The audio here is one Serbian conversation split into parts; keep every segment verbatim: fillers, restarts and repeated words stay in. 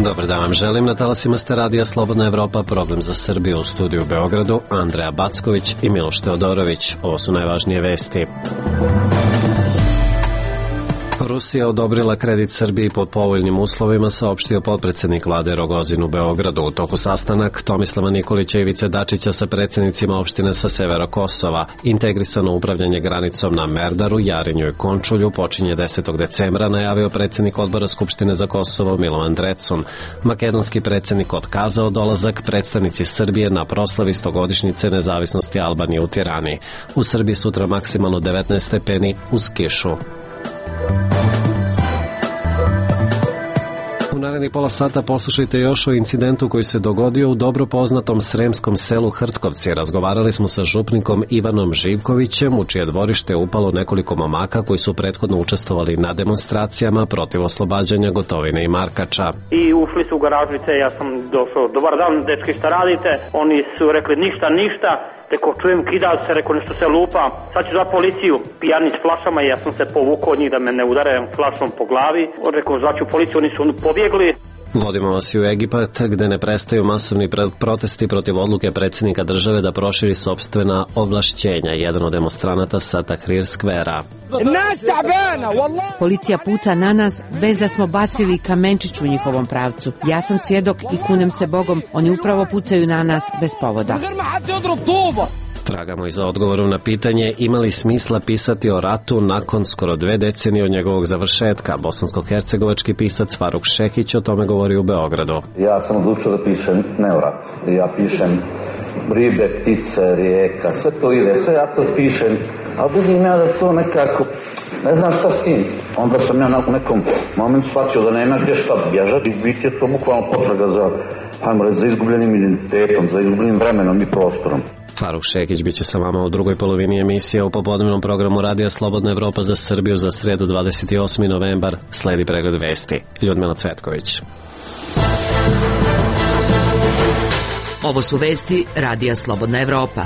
Dobar dan vam želim. Na talasima ste radija Slobodna Evropa, Problem za Srbiju, u studiju u Beogradu, Andreja Backović i Miloš Teodorović. Ovo su najvažnije vesti. Rusija odobrila kredit Srbiji pod povoljnim uslovima, saopštio potpredsednik vlade Rogozin u Beogradu. U toku sastanak Tomislava Nikolića i Ivice Dačića sa predsednicima opštine sa severa Kosova. Integrisano upravljanje granicom na Merdaru, Jarinju i Končulju počinje desetog decembra, najavio predsednik odbora Skupštine za Kosovo Milovan Drecun. Makedonski predsednik otkazao dolazak, predstavnici Srbije na proslavi stogodišnjice nezavisnosti Albanije u Tirani. U Srbiji sutra maksimalno devetnaest stepeni uz kišu. U narednih pola sata poslušajte još o incidentu koji se dogodio u dobro poznatom sremskom selu Hrtkovci. Razgovarali smo sa župnikom Ivanom Živkovićem, u čije dvorište je upalo nekoliko momaka koji su prethodno učestvovali na demonstracijama protiv oslobađanja Gotovine i Markača. I ušli su u garažice, ja sam došao, dobar dan, dečki, šta radite? Oni su rekli ništa, ništa. Rekao, čujem, kida se, rekao, nešto se lupa. Sad ću za policiju, pijani s flašama, ja sam se povukao od njih da me ne udare flašom po glavi. Rekao, zvaću policiju, oni su pobjegli. Vodimo vas i u Egipat, gde ne prestaju masovni protesti protiv odluke predsjednika države da proširi sopstvena ovlašćenja. Jedan od demonstranata sa Tahrir skvera. Policija puca na nas bez da smo bacili kamenčić u njihovom pravcu. Ja sam svjedok i kunem se Bogom, oni upravo pucaju na nas bez povoda. Tragamo i za odgovorom na pitanje ima li smisla pisati o ratu nakon skoro dve decenije od njegovog završetka. Bosansko-hercegovački pisac Faruk Šehić o tome govori u Beogradu. Ja sam odlučio da pišem ne o ratu. Ja pišem ribe, ptice, rijeka, sve to ide, sve ja to pišem, ali vidim ja da to nekako, ne znam šta s tim. Onda sam ja u nekom momentu shvatio da nema gdje šta bježati i biti je to bukvalno potraga za, hajmo reći, za izgubljenim identitetom, za izgubljenim vremenom i prostorom. Faruk Šekić biće sa vama u drugoj polovini emisije u popodnevnom programu Radija Slobodna Evropa za Srbiju za sredu dvadeset osmi novembar. Sledi pregled vesti. Ljudmila Cvetković. Ovo su vesti Radija Slobodna Evropa.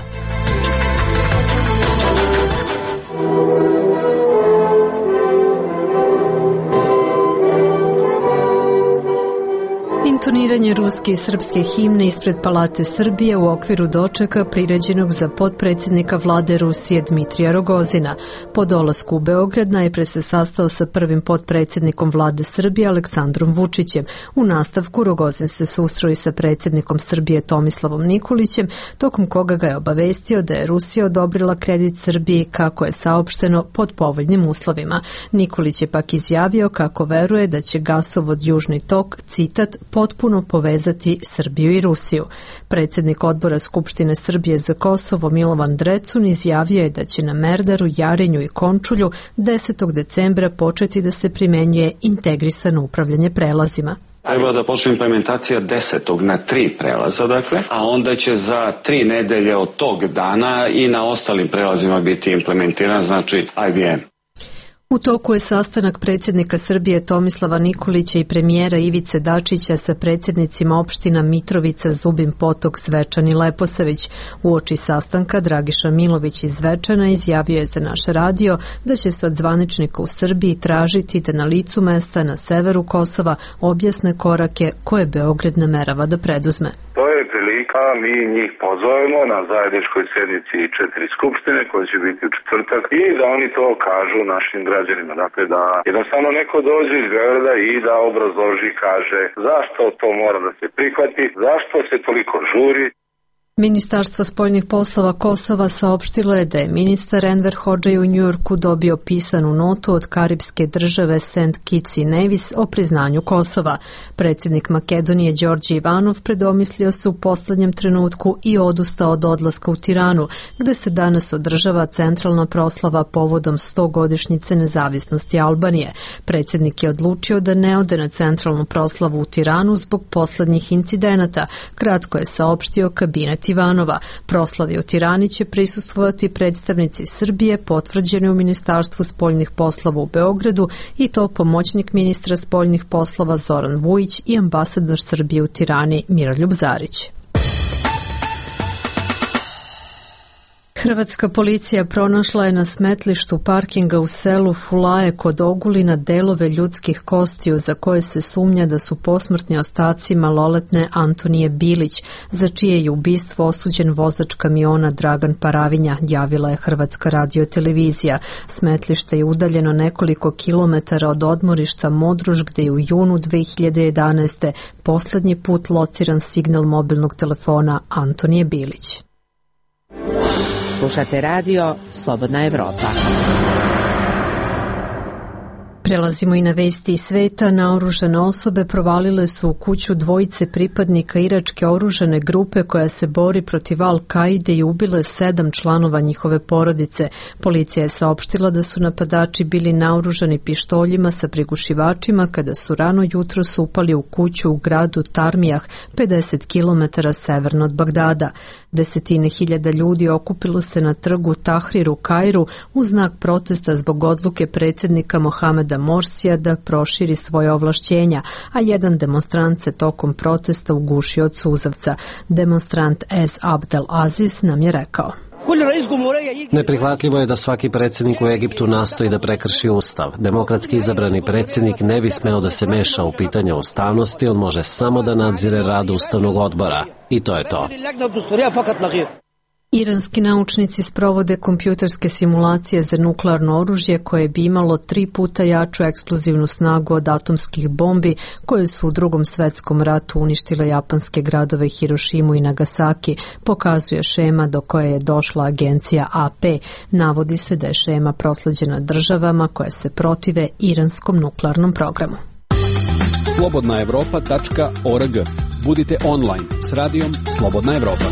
Intoniranje ruske i srpske himne ispred Palate Srbije u okviru dočeka priređenog za potpredsjednika vlade Rusije Dmitrija Rogozina. Po dolasku u Beograd najpre se sastao sa prvim potpredsjednikom vlade Srbije Aleksandrom Vučićem. U nastavku Rogozin se susreo i sa predsjednikom Srbije Tomislavom Nikolićem, tokom koga ga je obavestio da je Rusija odobrila kredit Srbiji kako je saopšteno pod povoljnim uslovima. Nikolić je pak izjavio kako veruje da će gasovod Južni tok, citat, potpuno povezati Srbiju i Rusiju. Predsjednik odbora Skupštine Srbije za Kosovo Milovan Drecun izjavio je da će na Merdaru, Jarinju i Končulju desetog decembra početi da se primenjuje integrisano upravljanje prelazima. Treba da počne implementacija desetog na tri prelaza, dakle, a onda će za tri nedelje od tog dana i na ostalim prelazima biti implementiran, znači I B M. U toku je sastanak predsjednika Srbije Tomislava Nikolića i premijera Ivice Dačića sa predsjednicima opština Mitrovica, Zubin Potok, Zvečan i Leposavić. Uoči sastanka Dragiša Milović iz Zvečana izjavio je za naš radio da će se od zvaničnika u Srbiji tražiti da na licu mesta na severu Kosova objasne korake koje Beograd namerava da preduzme. To je prilika, mi njih pozovemo na zajedničkoj sjednici četiri skupštine koje će biti u četvrtak i da oni to kažu našim građanima. Dakle, da jednostavno neko dođe iz Beograda i da obrazloži, kaže zašto to mora da se prihvati, zašto se toliko žuri. Ministarstvo spoljnih poslova Kosova saopštilo je da je ministar Enver Hodžaj u Njujorku dobio pisanu notu od karipske države Saint Kitts i Nevis o priznanju Kosova. Predsjednik Makedonije Đorđe Ivanov predomislio se u poslednjem trenutku i odustao od odlaska u Tiranu, gde se danas održava centralna proslava povodom stogodišnjice nezavisnosti Albanije. Predsjednik je odlučio da ne ode na centralnu proslavu u Tiranu zbog poslednjih incidenata, kratko je saopštio kabinet Ivanova. Proslavi u Tirani će prisustvovati predstavnici Srbije potvrđeni u Ministarstvu spoljnih poslova u Beogradu i to pomoćnik ministra spoljnih poslova Zoran Vujić i ambasador Srbije u Tirani Miroljub Zarić. Hrvatska policija pronašla je na smetlištu parkinga u selu Fulaje kod Ogulina delove ljudskih kostiju za koje se sumnja da su posmrtni ostaci maloletne Antonije Bilić, za čije je ubistvo osuđen vozač kamiona Dragan Paravinja, javila je Hrvatska radiotelevizija. Smetlište je udaljeno nekoliko kilometara od odmorišta Modruž, gde je u junu dve hiljade jedanaeste. poslednji put lociran signal mobilnog telefona Antonije Bilić. Slušate radio Slobodna Evropa. Prelazimo i na vesti iz sveta. Naoružane osobe provalile su u kuću dvojice pripadnika iračke oružane grupe koja se bori protiv Al-Kaide i ubile sedam članova njihove porodice. Policija je saopštila da su napadači bili naoružani pištoljima sa prigušivačima kada su rano jutros upali u kuću u gradu Tarmijah, pedeset kilometara severno od Bagdada. Desetine hiljada ljudi okupilo se na trgu Tahrir u Kairu u znak protesta zbog odluke predsjednika Mohameda Morsija da proširi svoje ovlašćenja, a jedan demonstrant se tokom protesta ugušio od suzavca. Demonstrant Es Abdel Aziz nam je rekao: Neprihvatljivo je da svaki predsjednik u Egiptu nastoji da prekrši ustav. Demokratski izabrani predsjednik ne bi smeo da se meša u pitanje ustavnosti, on može samo da nadzire rad ustavnog odbora. I to je to. Iranski naučnici sprovode kompjuterske simulacije za nuklearno oružje koje bi imalo tri puta jaču eksplozivnu snagu od atomskih bombi koje su u Drugom svetskom ratu uništile japanske gradove Hirošimu i Nagasaki, pokazuje šema do koje je došla agencija A P. Navodi se da je šema prosleđena državama koje se protive iranskom nuklearnom programu. slobodna evropa tačka org. Budite online s radijom Slobodna Evropa.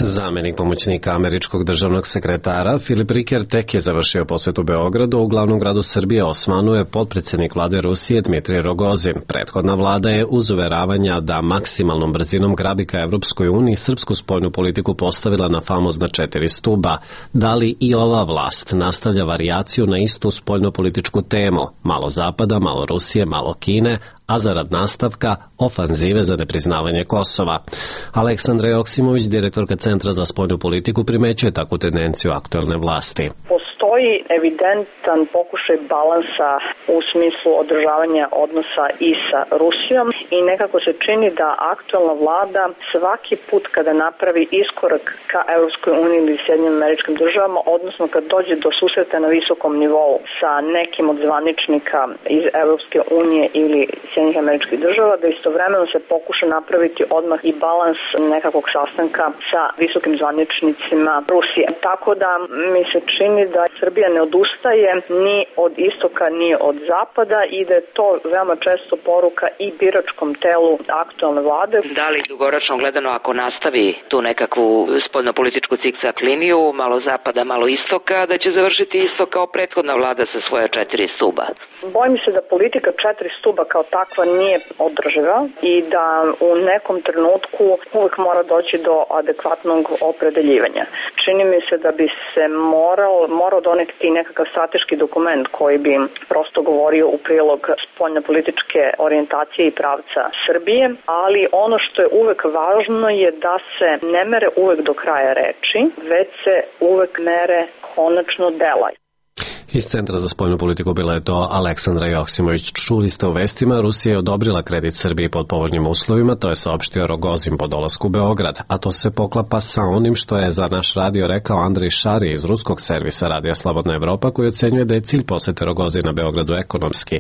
Zamenik pomoćnika američkog državnog sekretara Filip Riker tek je završio posjetu Beogradu, u glavnom gradu Srbije Osmanu je potpredsjednik vlade Rusije Dmitrij Rogozin. Prethodna vlada je uz uveravanja da maksimalnom brzinom grabi ka Evropskoj uniji srpsku spoljnu politiku postavila na famozna četiri stuba. Da li i ova vlast nastavlja varijaciju na istu spoljnopolitičku temu? Malo Zapada, malo Rusije, malo Kine, a zarad nastavka ofanzive za nepriznavanje Kosova. Aleksandra Joksimović, direktorka Centra za spoljnu politiku, primećuje takvu tendenciju aktuelne vlasti. Postoji evidentan pokušaj balansa u smislu održavanja odnosa i sa Rusijom i nekako se čini da aktuelna vlada svaki put kada napravi iskorak ka Evropskoj uniji ili Sjedinjenim Američkim Državama, odnosno kad dođe do susreta na visokom nivou sa nekim od zvaničnika iz Evropske unije ili Sjedinjenih Američkih Država, da istovremeno se pokuša napraviti odmah i balans nekakvog sastanka sa visokim zvaničnicima Rusije. Tako da mi se čini da Srbija ne odustaje ni od istoka ni od zapada i da je to veoma često poruka i biračkom telu aktualne vlade. Da li dugoročno gledano, ako nastavi tu nekakvu spoljnopolitičku cikcak liniju, malo zapada, malo istoka, da će završiti isto kao prethodna vlada sa svoje četiri stuba? Bojim se da politika četiri stuba kao takva nije održiva i da u nekom trenutku uvek mora doći do adekvatnog opredeljivanja. Čini mi se da bi se morao, morao doneti nekakav strateški dokument koji bi prosto govorio u prilog spoljnopolitičke orijentacije i pravca Srbije, ali ono što je uvek važno je da se ne mere uvek do kraja reči, već se uvek mere konačno dela. Iz Centra za spoljnu politiku bila je to Aleksandra Joksimović. Čuli ste u vestima, Rusija je odobrila kredit Srbiji pod povoljnim uslovima, to je saopštio Rogozin po dolasku u Beograd, a to se poklapa sa onim što je za naš radio rekao Andrej Šari iz ruskog servisa Radija Slobodna Evropa, koji ocenjuje da je cilj posete Rogozina Beogradu ekonomski,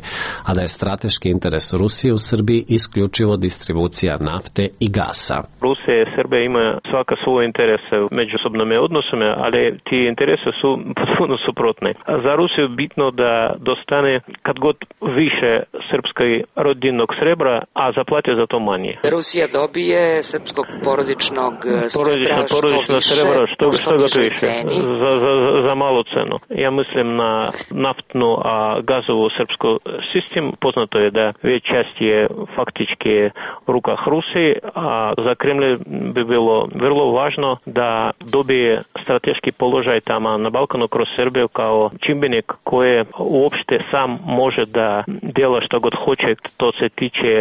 a da je strateški interes Rusije u Srbiji isključivo distribucija nafte i gasa. Rusija i Srbija ima svaka svoje interese u međusobnom odnosima, ali ti interese su potpuno suprotne. Za Rusiju je bitno da dostane kad god više srpskoj rodinnog srebra, a zaplate za to manje. Rusija dobije srpskog porodičnog srebra, porodično srebra što, što, što ga više, za, za, za malu cenu. Ja mislim na naftnu, a gazovu srpsku sistem. Poznato je da već čast je faktički u rukah Rusije, a za Kremlj bi bilo vrlo važno da dobije strateški položaj tamo na Balkanu kroz Srbiju kao čimbenik čovjek koje uopšte sam može da djela što god hoće, to se tiče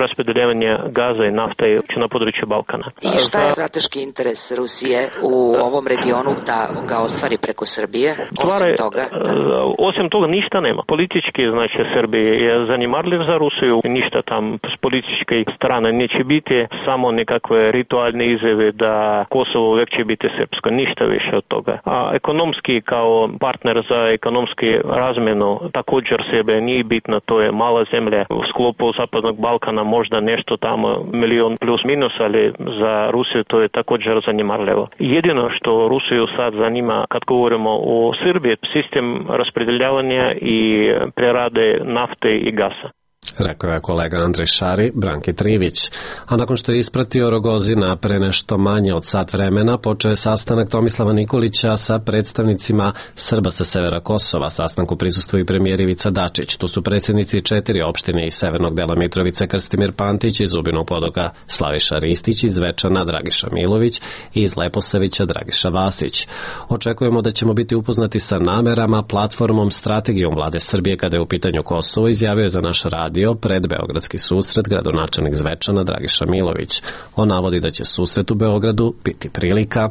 raspodeljavanja gaza i nafte na području Balkana. I šta je strateški interes Rusije u ovom regionu da ga ostvari preko Srbije? Osim toga? Da. Osim toga ništa nema. Politički, znači, Srbije je zanimarljiv za Rusiju. Ništa tam s političke strane neće biti, samo nekakve ritualne izjave da Kosovo uvijek će biti srpsko. Ništa više od toga. A ekonomski kao partner za ekonomski razmjenu također sebe nije bitno. To je mala zemlja u sklopu Zapadnog Balkana, možda nešto tamo milion plus minus, ali za Rusiju to je također zanimarljivo. Jedino što Rusiju sad zanima kad govorimo o Srbiji, sistem raspodeljavanja i prerade nafte i gasa. Rekao je kolega Andrej Šari, Branki Trivić. A nakon što je ispratio Rogozina pre nešto manje od sat vremena, počeo je sastanak Tomislava Nikolića sa predstavnicima Srba sa severa Kosova. Sastanku prisustvuje i premijer Ivica Dačić. Tu su predsjednici četiri opštine iz severnog dela Mitrovice Krstimir Pantić, iz Zubinog Potoka Slaviša Ristić, iz Zvečana Dragiša Milović i iz Leposavića Dragiša Vasić. Očekujemo da ćemo biti upoznati sa namerama, platformom, strategijom vlade Srbije kada je u pitanju Kosovo, izjavio je za naš radio pred Beogradski susret gradonačelnik Zvečana Dragiša Milović. On navodi da će susret u Beogradu biti prilika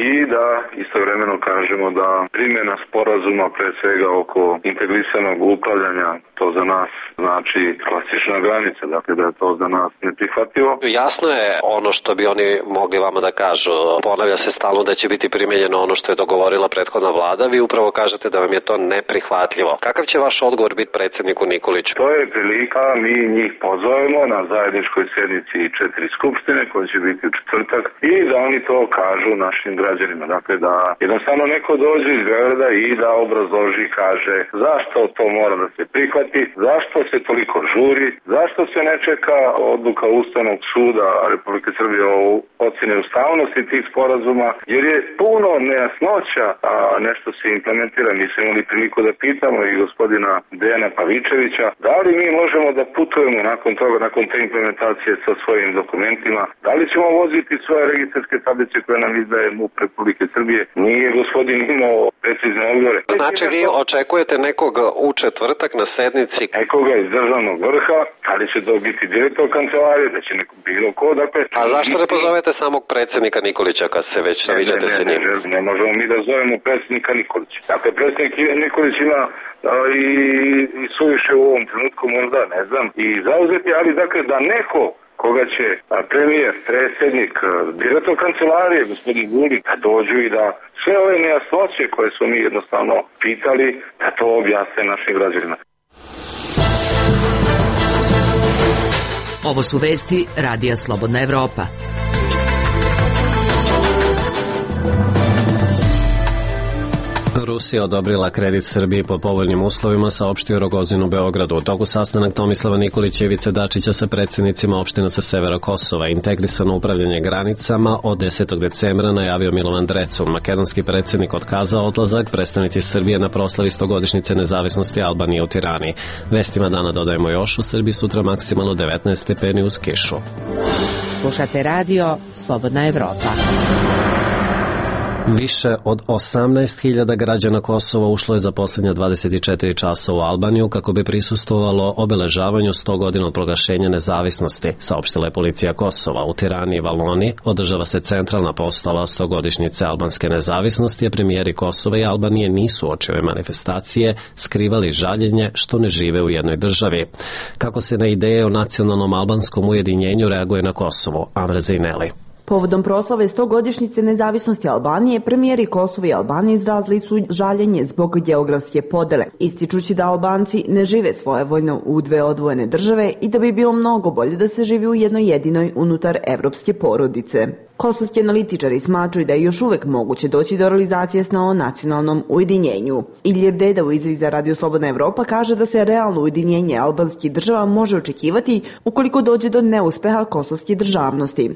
i da istovremeno kažemo da primjena sporazuma pre svega oko integrisanog upravljanja, to za nas znači klasična granica, dakle da je to za nas neprihvatljivo. Jasno je ono što bi oni mogli vama da kažu. Ponavlja se stalno da će biti primjenjeno ono što je dogovorila prethodna vlada. Vi upravo kažete da vam je to neprihvatljivo. Kakav će vaš odgovor biti predsjedniku Nikoliću? To je prilika, mi njih pozovemo na zajedničkoj sjednici četiri skupštine koja će biti u četvrtak i da oni to kažu našim građanima. Dakle da jednostavno neko dođe iz Beograda i da obrazloži, kaže zašto to mora da se prihvati, zašto se toliko žuri, zašto se ne čeka odluka Ustavnog suda Republike Srbije o ocjeni ustavnosti tih sporazuma, jer je puno nejasnoća, a nešto se implementira. Mi smo imali priliku da pitamo i gospodina Dejana Pavičevića, da li mi možemo da putujemo nakon toga, nakon te implementacije sa svojim dokumentima, da li ćemo voziti svoje registarske tablice koje nam izdaje MUP Republike Srbije. Nije gospodin imao precizne odgovore. Znači vi očekujete nekog u četvrtak na sednici? Nekoga iz državnog vrha, ali će to biti direktor kancelarije, da će neko bilo ko, dakle... A zašto ne pozovete samog predsjednika Nikolića kad se već naviđate sa njim? Ne, ne, ne možemo mi da zovemo predsjednika Nikolića. Dakle, predsjednik Nikolić ima a, i, i suviše u ovom trenutku možda, ne znam, i zauzeti, ali dakle da neko koga će premijer, predsjednik, direktor kancelarije, gospodin Vulin, da dođu i da sve ove nejasnoće koje smo mi jednostavno pitali, da to objasne našim građanima. Ovo su vesti Radija Slobodna Evropa. Rusija odobrila kredit Srbiji pod povoljnim uslovima, saopštio Rogozin u Beogradu. U toku sastanak Tomislava Nikolića i Ivice Dačića sa predsjednicima opština sa severa Kosova. Integrisano upravljanje granicama od desetog decembra najavio Milovan Drecun. Makedonski predsjednik otkazao odlazak, predstavnici Srbije na proslavi stogodišnjice nezavisnosti Albanije u Tirani. Vestima dana dodajemo još, u Srbiji sutra maksimalno devetnaest stepeni uz kišu. Slušate radio Slobodna Evropa. Više od osamnaest hiljada građana Kosova ušlo je za posljednja dvadeset četiri časa u Albaniju kako bi prisustvovalo obeležavanju sto godina od proglašenja nezavisnosti, saopštila je policija Kosova. U Tirani i Valoni održava se centralna postava stogodišnjice albanske nezavisnosti, a premijeri Kosova i Albanije nisu uoči ove manifestacije skrivali žaljenje što ne žive u jednoj državi. Kako se na ideje o nacionalnom albanskom ujedinjenju reaguje na Kosovo? Amra Zejneli. Povodom proslave stogodišnjice nezavisnosti Albanije, premijeri Kosova i Albanije izrazili su žaljenje zbog geografske podele, ističući da Albanci ne žive svojevoljno u dve odvojene države i da bi bilo mnogo bolje da se živi u jednoj jedinoj unutar evropske porodice. Kosovski analitičari smatraju da je još uvek moguće doći do realizacije sna o nacionalnom ujedinjenju. Ilir Deda u izjavi za Radio Slobodna Evropa kaže da se realno ujedinjenje albanskih država može očekivati ukoliko dođe do neuspeha kosovske državnosti.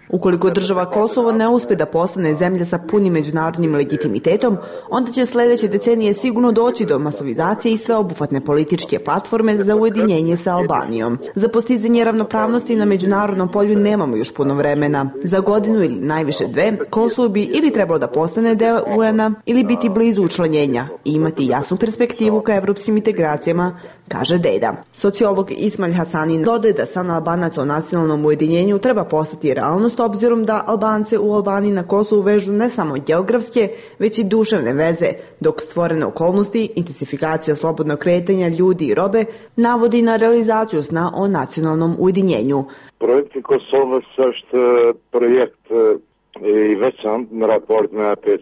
Ukoliko država Kosovo ne uspe da postane zemlja sa punim međunarodnim legitimitetom, onda će sledeće decenije sigurno doći do masovizacije i sveobuhvatne političke platforme za ujedinjenje sa Albanijom. Za postizanje ravnopravnosti na međunarodnom polju nemamo još puno vremena. Za godinu ili najviše dve, Kosovo bi ili trebalo da postane deo U N-a ili biti blizu učlanjenja i imati jasnu perspektivu ka evropskim integracijama, kaže Deda. Sociolog Ismail Hasani dodaje da san Albanaca o nacionalnom ujedinjenju treba postati realnost obzirom da Albance u Albaniji na Kosovu vežu ne samo geografske, već i duševne veze, dok stvorene okolnosti, intensifikacija slobodnog kretanja ljudi i robe navodi na realizaciju sna o nacionalnom ujedinjenju. Projekt Kosova също projekt i većan raport na peć.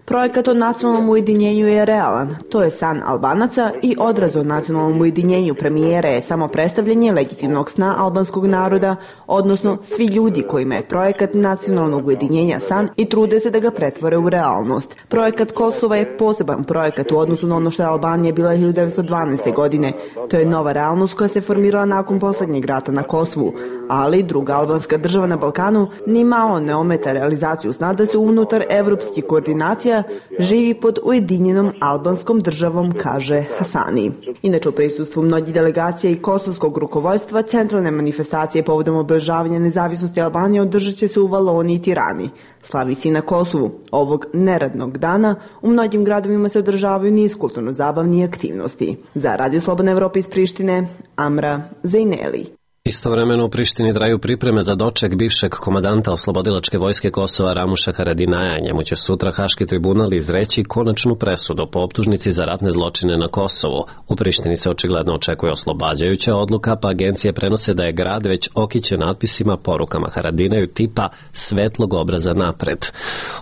Projekat o nacionalnom ujedinjenju je realan. To je san Albanaca i odraz o nacionalnom ujedinjenju premijera je samo predstavljanje legitimnog sna albanskog naroda, odnosno svi ljudi kojima je projekat nacionalnog ujedinjenja san i trude se da ga pretvore u realnost. Projekat Kosova je poseban projekat u odnosu na ono što je Albanija bila hiljadu devetsto dvanaeste. godine. To je nova realnost koja se formirala nakon poslednjeg rata na Kosovu, ali druga albanska država na Balkanu ni malo ne ometa realizaciju sna da se unutar evropskih koordinacija živi pod ujedinjenom albanskom državom, kaže Hasani. Inače, u prisustvu mnogih delegacija i kosovskog rukovodstva, centralne manifestacije povodom obeležavanja nezavisnosti Albanije održat će se u Valoniji i Tirani. Slavi se i na Kosovu. Ovog neradnog dana u mnogim gradovima se održavaju niz kulturno-zabavnih aktivnosti. Za Radio Slobodna Evropa iz Prištine, Amra Zejneli. Istovremeno u Prištini traju pripreme za doček bivšeg komandanta oslobodilačke vojske Kosova Ramuša Haradinaja. Njemu će sutra Haški tribunal izreći konačnu presudu po optužnici za ratne zločine na Kosovu. U Prištini se očigledno očekuje oslobađajuća odluka, pa agencije prenose da je grad već okićen natpisima, porukama Haradinaju tipa svetlog obraza napred.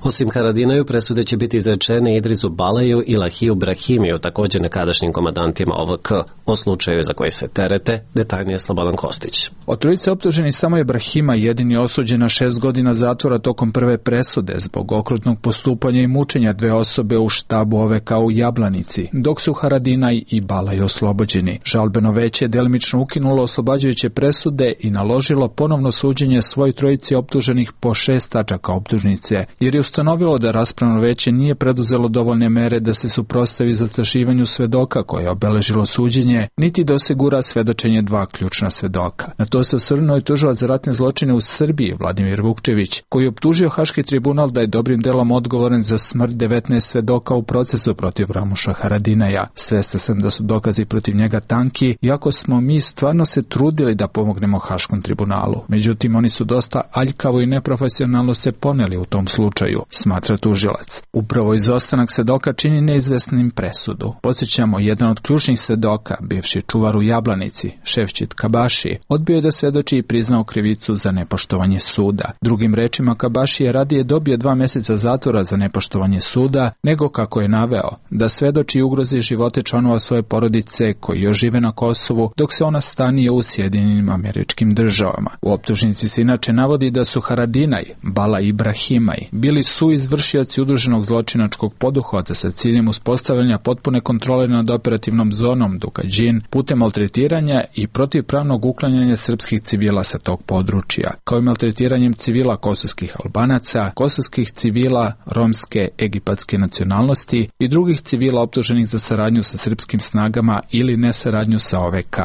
Osim Haradinaju, presude će biti izrečene Idrisu Balaju i Lahiju Brahimiju, također nekadašnjim komandantima O V K. O slučaju za koji se terete, detaljnije Slobodan Kostić. Od trojice optuženih samo je Brahima jedini osuđen na šest godina zatvora tokom prve presude zbog okrutnog postupanja i mučenja dve osobe u štabu O V K u Jablanici, dok su Haradinaj i Balaj oslobođeni. Žalbeno veće je delimično ukinulo oslobađajuće presude i naložilo ponovno suđenje svoj trojici optuženih po šest tačaka optužnice, jer je ustanovilo da raspravno veće nije preduzelo dovoljne mere da se suprotstavi zastrašivanju svedoka koje je obeležilo suđenje, niti da osigura svedočenje dva ključna svedoka. Na to se osvrnuo i tužilac za ratne zločine u Srbiji, Vladimir Vukčević, koji je optužio Haški tribunal da je dobrim delom odgovoran za smrt devetnaest svedoka u procesu protiv Ramuša Haradinaja. Svestan sam da su dokazi protiv njega tanki, iako smo mi stvarno se trudili da pomognemo Haškom tribunalu. Međutim, oni su dosta aljkavo i neprofesionalno se poneli u tom slučaju, smatra tužilac. Upravo izostanak svedoka čini neizvesnim presudu. Podsjećamo, jedan od ključnih svedoka, bivši čuvar u Jablanici, Šefčit Kabaši, odbio je da svedoči i priznao krivicu za nepoštovanje suda. Drugim rečima, Kabaši je radije dobio dva meseca zatvora za nepoštovanje suda, nego kako je naveo, da svedoči i ugrozi živote članova svoje porodice koji još žive na Kosovu, dok se ona stanije u Sjedinjenim Američkim Državama. U optužnici se inače navodi da su Haradinaj, Bala i Brahimaj bili suizvršioci udruženog zločinačkog poduhvata sa ciljem uspostavljanja potpune kontrole nad operativnom zonom Dukađin putem maltretiranja i protivpravnog uklanjanja srpskih civila sa tog područja, kao i maltretiranjem civila kosovskih Albanaca, kosovskih civila romske egipatske nacionalnosti i drugih civila optuženih za saradnju sa srpskim snagama ili nesaradnju sa O V K.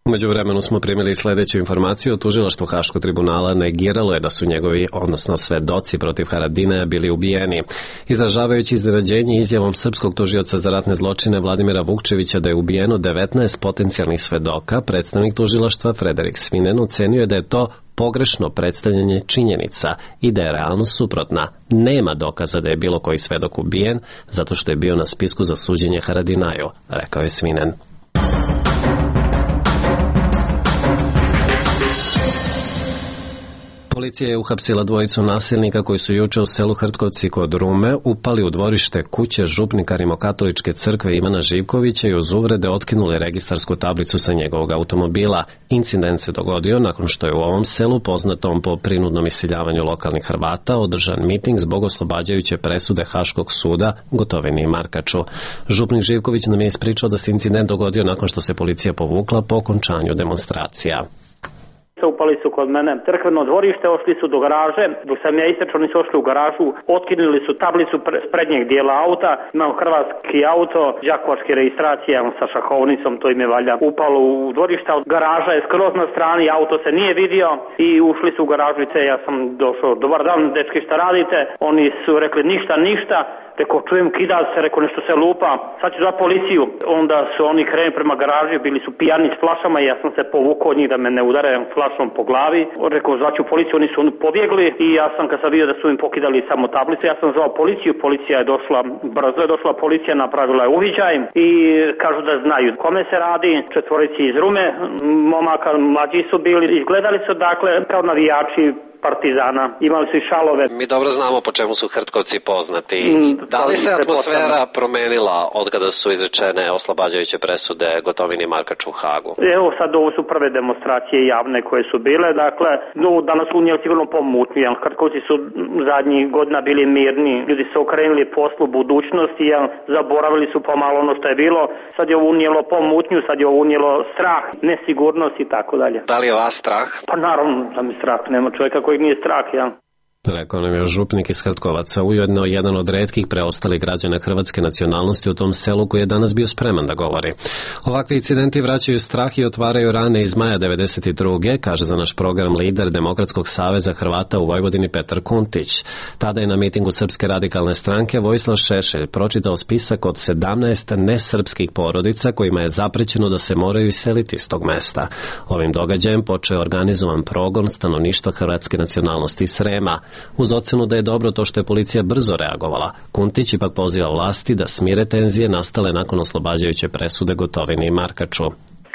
U međuvremenu smo primili sljedeću informaciju. Tužilaštvo Haškog tribunala negiralo je da su njegovi, odnosno svedoci protiv Haradinaja, bili ubijeni. Izražavajući iznenađenje izjavom srpskog tužioca za ratne zločine Vladimira Vukčevića da je ubijeno devetnaest potencijalnih svedoka, predstavnik tužilaštva Frederik Svinen ocenio je da je to pogrešno predstavljanje činjenica i da je realnost suprotna. Nema dokaza da je bilo koji svedok ubijen zato što je bio na spisku za suđenje Haradinaju, rekao je Svinen. Policija je uhapsila dvojicu nasilnika koji su juče u selu Hrtkovci kod Rume upali u dvorište kuće župnika Rimokatoličke crkve Ivana Živkovića i uz uvrede otkinuli registarsku tablicu sa njegovog automobila. Incident se dogodio nakon što je u ovom selu, poznatom po prinudnom iseljavanju lokalnih Hrvata, održan miting zbog oslobađajuće presude Haškog suda Gotovini i Markaču. Župnik Živković nam je ispričao da se incident dogodio nakon što se policija povukla po okončanju demonstracija. Upali su kod mene crkveno dvorište, ošli su do garaže, dok sam ja istrčao, oni su ošli u garažu, otkinuli su tablicu s prednjeg dijela auta, imam hrvatski auto, đakovačke registracije sa šahovnicom, to im je valja upalo u dvorište, garaža je skroz na strani, auto se nije vidio i ušli su u garažu i ja sam došao, dobar dan dečki, šta radite? Oni su rekli ništa, ništa. Rekao, čujem kida se, rekao, nešto se lupa, sad ću za policiju. Onda su oni krenuli prema garaži, bili su pijani s flašama i ja sam se povukao od njih da me ne udare flašom po glavi. Rekao, zvaću policiju, oni su pobjegli i ja sam, kad sam vidio da su im pokidali samo tablice, ja sam zvao policiju, policija je došla, brzo je došla policija, napravila je uviđaj i kažu da znaju kome se radi, četvorici iz Rume, momaka mlađi su bili, izgledali su dakle kao navijači Partizana, imali su i šalove. Mi dobro znamo po čemu su Hrtkovci poznati. Mm, da li se atmosfera promenila od kada su izrečene oslobađajuće presude Gotovini i Markaču u Hagu? Evo sad ovo su prve demonstracije javne koje su bile, dakle, no, danas su unijeli sigurno pomutnju, jer Hrtkovci su zadnjih godina bili mirni, ljudi su okrenuli poslu budućnosti, jer zaboravili su pomalo ono što je bilo, sad je ovo unijelo pomutnju, sad je ovo unijelo strah, nesigurnost i tako dalje. Da li je vas strah? Pa naravno da mi strah, nema čovjeka kojeg nije strah, ja. Rekao nam je župnik iz Hrtkovaca, ujedno jedan od retkih preostalih građana hrvatske nacionalnosti u tom selu koji je danas bio spreman da govori. Ovakvi incidenti vraćaju strah i otvaraju rane iz maja devedeset druge, kaže za naš program lider Demokratskog saveza Hrvata u Vojvodini Petar Kuntić. Tada je na mitingu Srpske radikalne stranke Vojislav Šešelj pročitao spisak od sedamnaest nesrpskih porodica kojima je zaprećeno da se moraju iseliti iz tog mesta. Ovim događajem počeo je organizovan progon stanovništva hrvatske nacionalnosti Srema. Uz ocenu da je dobro to što je policija brzo reagovala, Kuntić ipak poziva vlasti da smire tenzije nastale nakon oslobađajuće presude Gotovini i Markaču.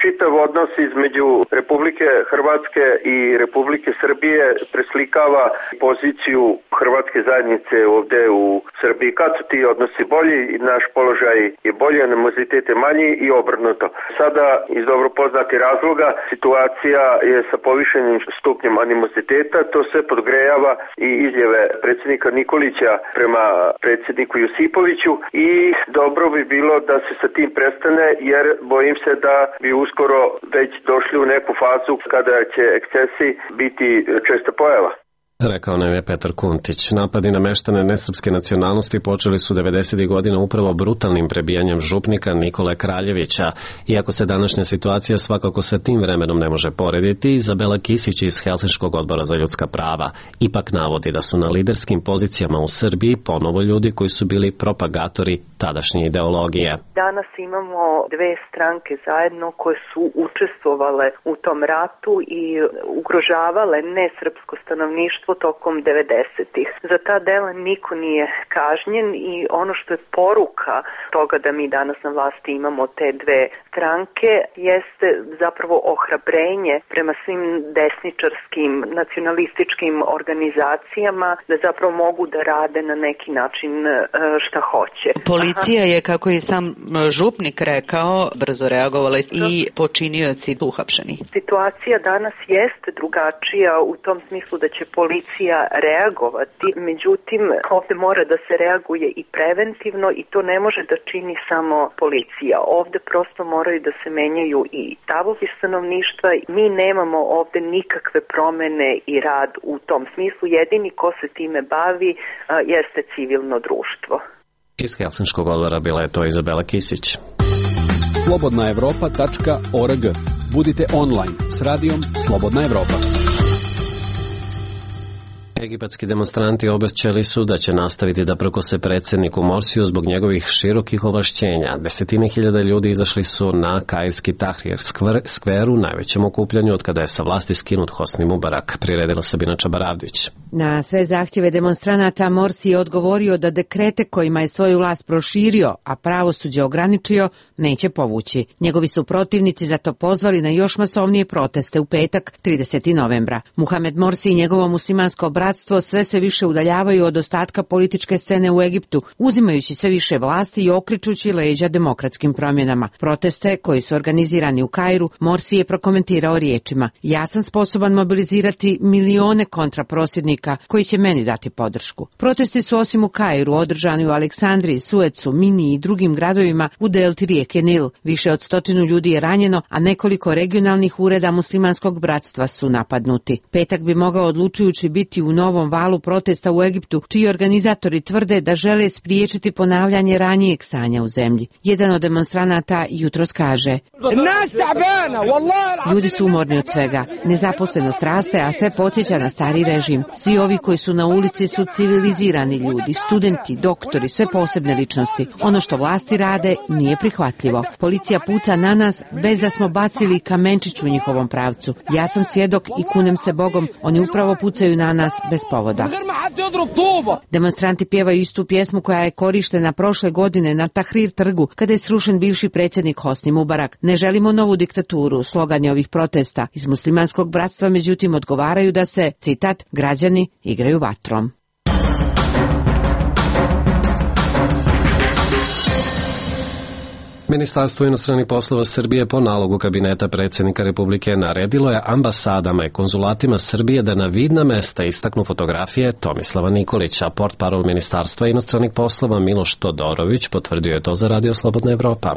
Čitav odnos između Republike Hrvatske i Republike Srbije preslikava poziciju hrvatske zajednice ovde u Srbiji. Kad su ti odnosi bolji, naš položaj je bolji, animozitet je manji i obrnuto. Sada, iz dobro poznatih razloga, situacija je sa povišenim stupnjem animoziteta, to sve podgrejava i izjave predsjednika Nikolića prema predsjedniku Josipoviću i dobro bi bilo da se sa tim prestane, jer bojim se da bi uskoro već došli u neku fazu kada će ekscesi biti česta pojava. Rekao nam je Petar Kuntić. Napadi na meštane nesrpske nacionalnosti počeli su devedesetih godina upravo brutalnim prebijanjem župnika Nikole Kraljevića. Iako se današnja situacija svakako sa tim vremenom ne može porediti, Izabela Kisić iz Helsinškog odbora za ljudska prava ipak navodi da su na liderskim pozicijama u Srbiji ponovo ljudi koji su bili propagatori tadašnje ideologije. Danas imamo dve stranke zajedno koje su učestvovale u tom ratu i ugrožavale nesrpsko stanovništvo tokom devedesetih. Za ta dela niko nije kažnjen i ono što je poruka toga da mi danas na vlasti imamo te dve stranke jeste zapravo ohrabrenje prema svim desničarskim nacionalističkim organizacijama da zapravo mogu da rade na neki način šta hoće. Policija je, kako je sam župnik rekao, brzo reagovala i počinioci uhapšeni. Situacija danas jeste drugačija u tom smislu da će policija reagovati, međutim ovde mora da se reaguje i preventivno i to ne može da čini samo policija. Ovde prosto moraju da se menjaju i stavovi stanovništva. Mi nemamo ovde nikakve promene i rad u tom smislu. Jedini ko se time bavi a, jeste civilno društvo. Iz Helsinškog odbora bila je to Izabela Kisić. slobodna evropa tačka org. Budite online s radijom Slobodna Evropa. Egipatski demonstranti obećali su da će nastaviti da prkose predsjedniku Morsiju zbog njegovih širokih ovlašćenja. Desetine hiljada ljudi izašli su na kairski Tahrir skveru, najvećem okupljanju od kada je sa vlasti skinut Hosni Mubarak, priredila Sabina Čabaravdić. Na sve zahtjeve demonstranata Morsi je odgovorio da dekrete kojima je svoju vlast proširio, a pravosuđe ograničio, neće povući. Njegovi su protivnici zato pozvali na još masovnije proteste u petak, tridesetog novembra. Muhamed Morsi i njegovo muslimansko bratstvo bratstvo sve se više udaljavaju od ostatka političke scene u Egiptu, uzimajući sve više vlasti i okrećući leđa demokratskim promjenama. Proteste koji su organizirani u Kairu, Morsi je prokomentirao riječima: ja sam sposoban mobilizirati milione kontraprosvjednika koji će meni dati podršku. Protesti su osim u Kairu održani u Aleksandriji, Suecu, Mini i drugim gradovima u delti rijeke Nil. Više od stotinu ljudi je ranjeno, a nekoliko regionalnih ureda muslimanskog bratstva su napadnuti. Petak bi mogao odlučujući biti u novom valu protesta u Egiptu, čiji organizatori tvrde da žele spriječiti ponavljanje ranijeg stanja u zemlji. Jedan od demonstranata jutros kaže: ljudi su umorni od svega. Nezaposlenost raste, a sve podsjeća na stari režim. Svi ovi koji su na ulici su civilizirani ljudi, studenti, doktori, sve posebne ličnosti. Ono što vlasti rade nije prihvatljivo. Policija puca na nas bez da smo bacili kamenčić u njihovom pravcu. Ja sam svjedok i kunem se Bogom, oni upravo pucaju na nas bez povoda. Demonstranti pjevaju istu pjesmu koja je korištena prošle godine na Tahrir trgu, kada je srušen bivši predsjednik Hosni Mubarak. Ne želimo novu diktaturu, slogan je ovih protesta. Iz muslimanskog bratstva međutim odgovaraju da se, citat, građani igraju vatrom. Ministarstvo inostranih poslova Srbije po nalogu kabineta predsjednika Republike naredilo je ambasadama i konzulatima Srbije da na vidna mesta istaknu fotografije Tomislava Nikolića. Portparol Ministarstva inostranih poslova Miloš Todorović potvrdio je to za Radio Slobodna Evropa.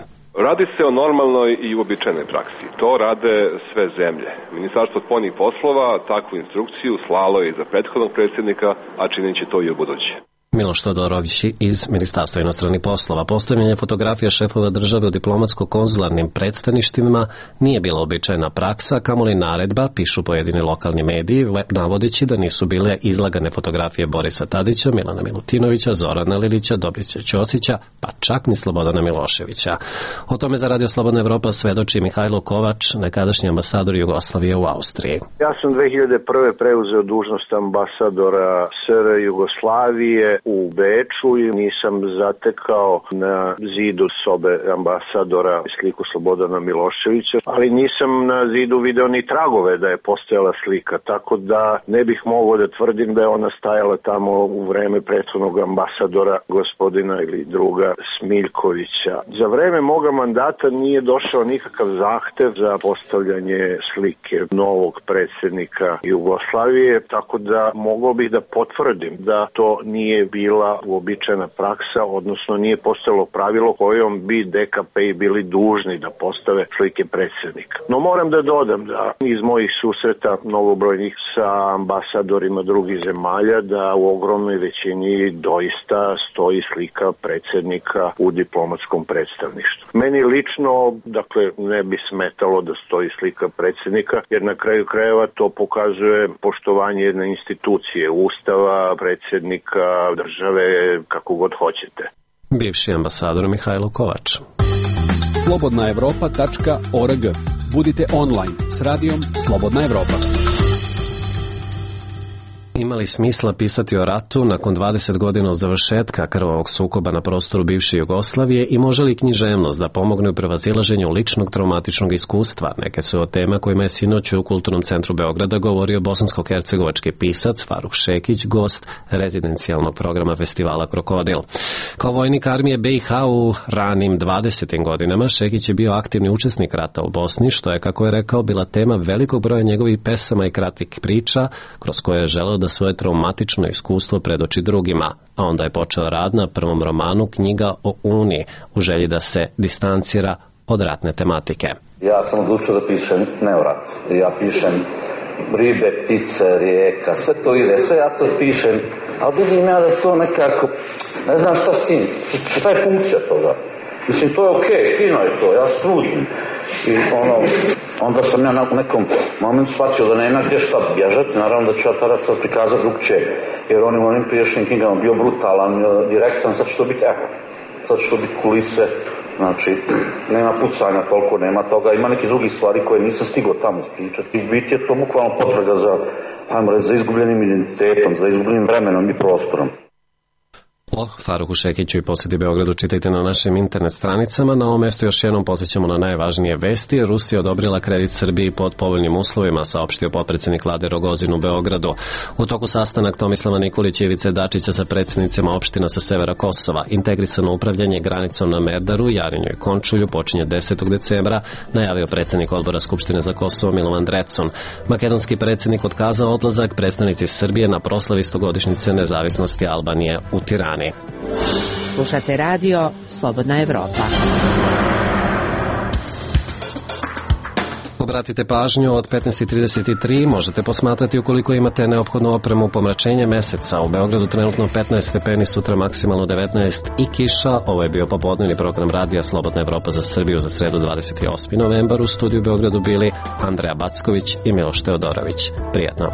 Radi se o normalnoj i uobičajenoj praksi. To rade sve zemlje. Ministarstvo spoljnih poslova takvu instrukciju slalo je i za prethodnog predsjednika, a činit će to i u buduće. Miloš Todorović iz Ministarstva inostranih poslova. Postavljanje fotografija šefova države u diplomatsko-konzularnim predstavništvima nije bila običajna praksa, kamoli naredba, pišu pojedini lokalni mediji, navodeći da nisu bile izlagane fotografije Borisa Tadića, Milana Milutinovića, Zorana Lilića, Dobrice Ćosića, pa čak ni Slobodana Miloševića. O tome za Radio Slobodna Evropa svedoči Mihajlo Kovač, nekadašnji ambasador Jugoslavije u Austriji. Ja sam dve hiljade prve preuzeo dužnost ambasadora S R Jugoslavije u Beču i nisam zatekao na zidu sobe ambasadora sliku Slobodana Miloševića, ali nisam na zidu video ni tragove da je postojala slika, tako da ne bih mogao da tvrdim da je ona stajala tamo u vreme prethodnog ambasadora gospodina ili druga Smiljkovića. Za vreme moga mandata nije došao nikakav zahtev za postavljanje slike novog predsjednika Jugoslavije, tako da mogao bih da potvrdim da to nije bila uobičajena praksa, odnosno nije postojalo pravilo kojom bi D K P bili dužni da postave slike predsjednika. No moram da dodam da iz mojih susreta mnogobrojnih sa ambasadorima drugih zemalja da u ogromnoj većini doista stoji slika predsjednika u diplomatskom predstavništvu. Meni lično, dakle, ne bi smetalo da stoji slika predsjednika, jer na kraju krajeva to pokazuje poštovanje jedne institucije, ustava, predsjednika, države, kako god hoćete. Bivši ambasador Mihajlo Kovač. slobodna evropa tačka org. Budite online s radijom Slobodna Evropa. Ima li smisla pisati o ratu nakon dvadeset godina od završetka krvavog sukoba na prostoru bivše Jugoslavije i može li književnost da pomogne u prevazilaženju ličnog traumatičnog iskustva? Neke su od tema kojima je sinoć u Kulturnom centru Beograda govorio bosansko-hercegovački pisac Faruk Šekić, gost rezidencijalnog programa festivala Krokodil. Kao vojnik armije B i H u ranim dvadesetim godinama, Šekić je bio aktivni učesnik rata u Bosni, što je, kako je rekao, bila tema velikog broja njegovih pesama i kratkih priča, kroz koje je želeo da svoje traumatično iskustvo predoči drugima, a onda je počeo rad na prvom romanu Knjiga o Uniji, u želji da se distancira od ratne tematike. Ja sam odlučio da pišem ne o ratu. Ja pišem ribe, ptice, rijeka, sve to ide, sve ja to pišem, ali vidim ja da to nekako, ne znam šta s tim, šta je funkcija toga. Mislim, to je okej, okay, fino je to, ja strudim. I ono, onda sam ja na nekom momentu shvatio da nema gdje šta bježati, naravno da ću ja tada sad prikazati drugčije, jer on u onim priješnjim knjigama bio brutalan, direktan, sad će to biti, evo, sad će to biti kulise, znači, nema pucanja toliko, nema toga, ima neki drugi stvari koje nisam stigao tamo ispričati. I biti je to bukvalno potraga za, ajmo reći, za izgubljenim identitetom, za izgubljenim vremenom i prostorom. O Faruku Šekiću i posjeti Beogradu čitajte na našim internet stranicama. Na ovom mestu još jednom podsjećamo na najvažnije vesti. Rusija odobrila kredit Srbiji pod povoljnim uslovima, saopštio potpredsjednik vlade Rogozin u Beogradu. U toku sastanak Tomislava Nikolića i Ivice Dačića sa predsjednicima opština sa severa Kosova. Integrisano upravljanje granicom na Merdaru, Jarinju i Končulju počinje desetog decembra, najavio predsjednik odbora Skupštine za Kosovo Milovan Drecun. Makedonski predsjednik otkazao odlazak predstavnici Srbije na proslavi stogodišnjice nezavisnosti Albanije u Tirani. Slušate radio Slobodna Evropa. Obratite pažnju, od petnaest i trideset tri možete posmatrati ukoliko imate neophodnu opremu pomračenje meseca. U Beogradu trenutno petnaest stepeni, sutra maksimalno devetnaest i kiša. Ovo je bio popodnevni program radija Slobodna Evropa za Srbiju za sredu dvadeset osmi novembar. U studiju u Beogradu bili Andreja Backović i Miloš Teodorović. Prijetno.